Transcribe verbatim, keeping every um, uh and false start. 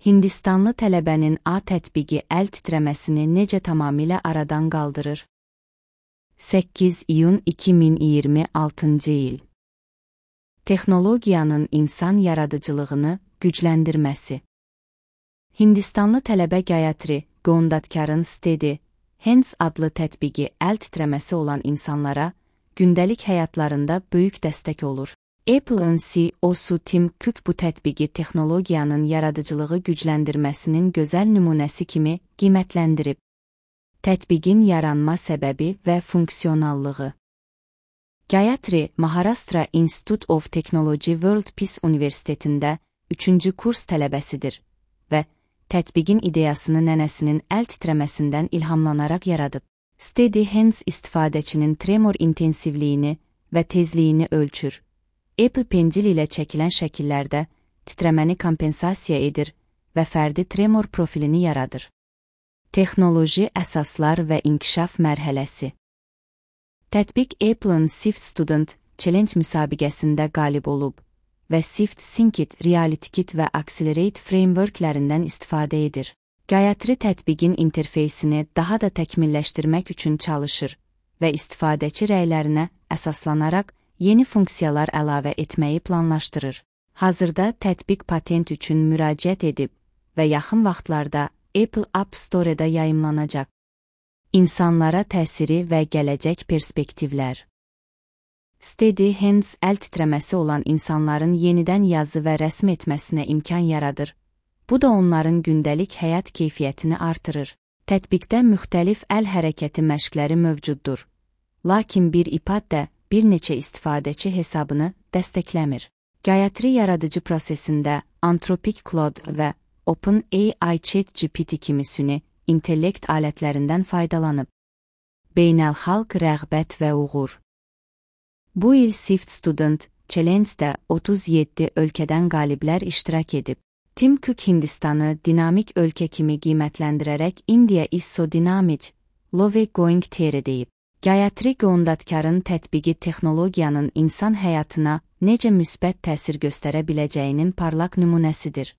Hindistanlı tələbənin A tətbiqi əl titrəməsini necə tamamilə aradan qaldırır? səkkiz iyun iki min iyirmi altıncı il. Texnologiyanın insan yaradıcılığını gücləndirməsi. Hindistanlı tələbə Gayatri Gondadkarın Steady Hands adlı tətbiqi əl titrəməsi olan insanlara gündəlik həyatlarında böyük dəstək olur. Apple'ın C E O'su Tim Cook bu tətbiqi texnologiyanın yaradıcılığı gücləndirməsinin gözəl nümunəsi kimi qiymətləndirib. Tətbiqin yaranma səbəbi və funksionallığı. Gayatri, Maharashtra Institute of Technology World Peace Universitetində üçüncü kurs tələbəsidir və tətbiqin ideyasını nənəsinin əl titrəməsindən ilhamlanaraq yaradıb. Steady Hands istifadəçinin tremor intensivliyini və tezliyini ölçür. Apple Pencil ilə çəkilən şəkillərdə titrəməni kompensasiya edir və fərdi tremor profilini yaradır. Texnoloji əsaslar və inkişaf mərhələsi. Tətbiq Apple'ın Sift Student Challenge müsabiqəsində qalib olub və Sift Synced, Reality Kit və Accelerate frameworklərindən istifadə edir. Gayatri tətbiqin interfeysini daha da təkmilləşdirmək üçün çalışır və istifadəçi rəylərinə əsaslanaraq yeni funksiyalar əlavə etməyi planlaşdırır. Hazırda tətbiq patent üçün müraciət edib və yaxın vaxtlarda Apple App Store-da yayımlanacaq. İnsanlara təsiri və gələcək perspektivlər. Steady Hands əl titrəməsi olan insanların yenidən yazı və rəsm etməsinə imkan yaradır. Bu da onların gündəlik həyat keyfiyyətini artırır. Tətbiqdə müxtəlif əl hərəkəti məşqləri mövcuddur. Lakin bir iPad də bir neçə istifadəçi hesabını dəstəkləmir. Gayatri yaradıcı prosesində Anthropic Claude və OpenAI ChatGPT kimi süni intellekt alətlərindən faydalanıb. Beynəlxalq rəğbət və uğur. Bu il Sift Student Challenge-də otuz yeddi ölkədən qaliblər iştirak edib. Tim Cook Hindistanı dinamik ölkə kimi qiymətləndirərək India is so dynamic, love going there deyib. Gayatri Gondadkarın tətbiqi texnologiyanın insan həyatına necə müsbət təsir göstərə biləcəyinin parlaq nümunəsidir.